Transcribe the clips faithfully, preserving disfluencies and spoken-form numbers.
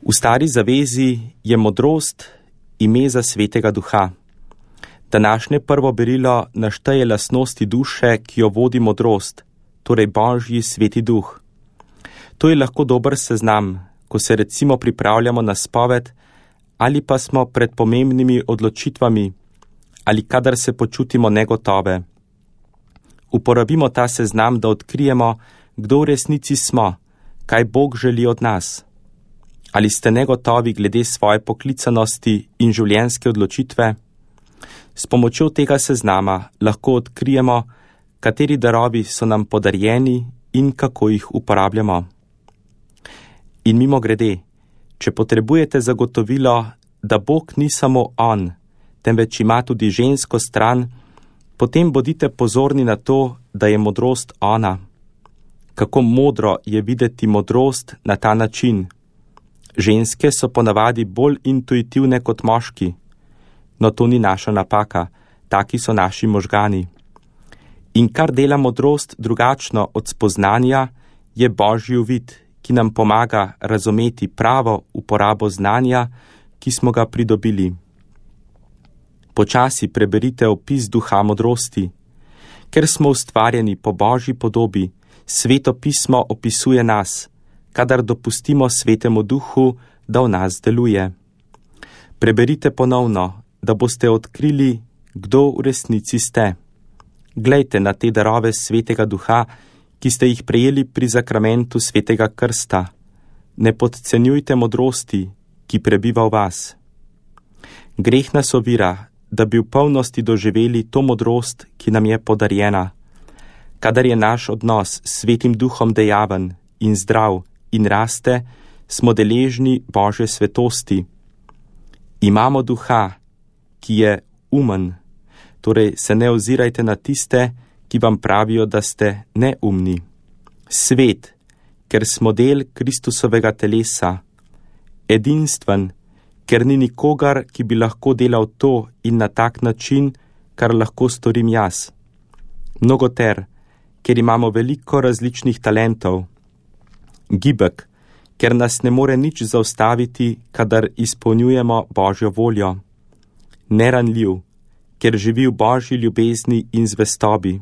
V Stari zavezi je modrost ime za Svetega Duha. Današnje prvo berilo našteje lastnosti duše, ki jo vodi modrost, torej Božji Sveti Duh. To je lahko dober seznam, ko se recimo pripravljamo na spoved ali pa smo pred pomembnimi odločitvami ali kadar se počutimo negotove. Uporabimo ta seznam, da odkrijemo, kdo v resnici smo, kaj Bog želi od nas. Ali ste negotovi glede svoje poklicanosti in življenjske odločitve? S pomočjo tega seznama lahko odkrijemo, kateri darovi so nam podarjeni in kako jih uporabljamo. In mimogrede, če potrebujete zagotovilo, da Bog ni samo on, temveč ima tudi žensko stran, potem bodite pozorni na to, da je modrost ona. Kako modro je videti modrost na ta način. Ženske so ponavadi bolj intuitivne kot moški, no to ni naša napaka, taki so naši možgani. In kar dela modrost drugačno od spoznanja, je Božji uvid, ki nam pomaga razumeti pravo uporabo znanja, ki smo ga pridobili. Počasi preberite opis duha modrosti. Ker smo ustvarjeni po Božji podobi, Sveto pismo opisuje nas, kadar dopustimo Svetemu Duhu, da v nas deluje. Preberite ponovno, da boste odkrili, kdo v resnici ste. Glejte na te darove Svetega Duha, ki ste jih prejeli pri zakramentu Svetega Krsta. Ne podcenjujte modrosti, ki prebiva v vas. Greh nas ovira, da bi v polnosti doživeli to modrost, ki nam je podarjena. Kadar je naš odnos s Svetim Duhom dejaven in zdrav in raste, smo deležni Božje svetosti. Imamo duha, ki je umen, torej se ne ozirajte na tiste, ki vam pravijo, da ste neumni. Svet, ker smo del Kristusovega telesa. Edinstven, ker ni nikogar, ki bi lahko delal to in na tak način, kar lahko storim jaz. Mnogoter, ker imamo veliko različnih talentov. Gibek, ker nas ne more nič zaustaviti, kadar izpolnjujemo Božjo voljo. Neranljiv, ker živi v Božji ljubezni in zvestobi.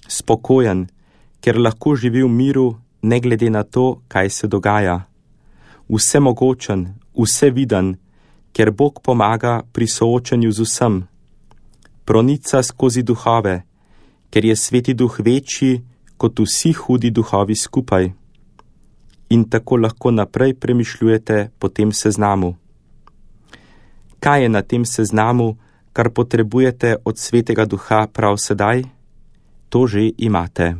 Spokojen, ker lahko živi v miru, ne glede na to, kaj se dogaja. Vsemogočen, vseviden, ker Bog pomaga pri soočanju z vsem. Pronica skozi duhove, ker je Sveti Duh večji kot vsi hudi duhovi skupaj. In tako lahko naprej premišljujete po tem seznamu. Kaj je na tem seznamu, kar potrebujete od Svetega Duha prav sedaj? To že imate.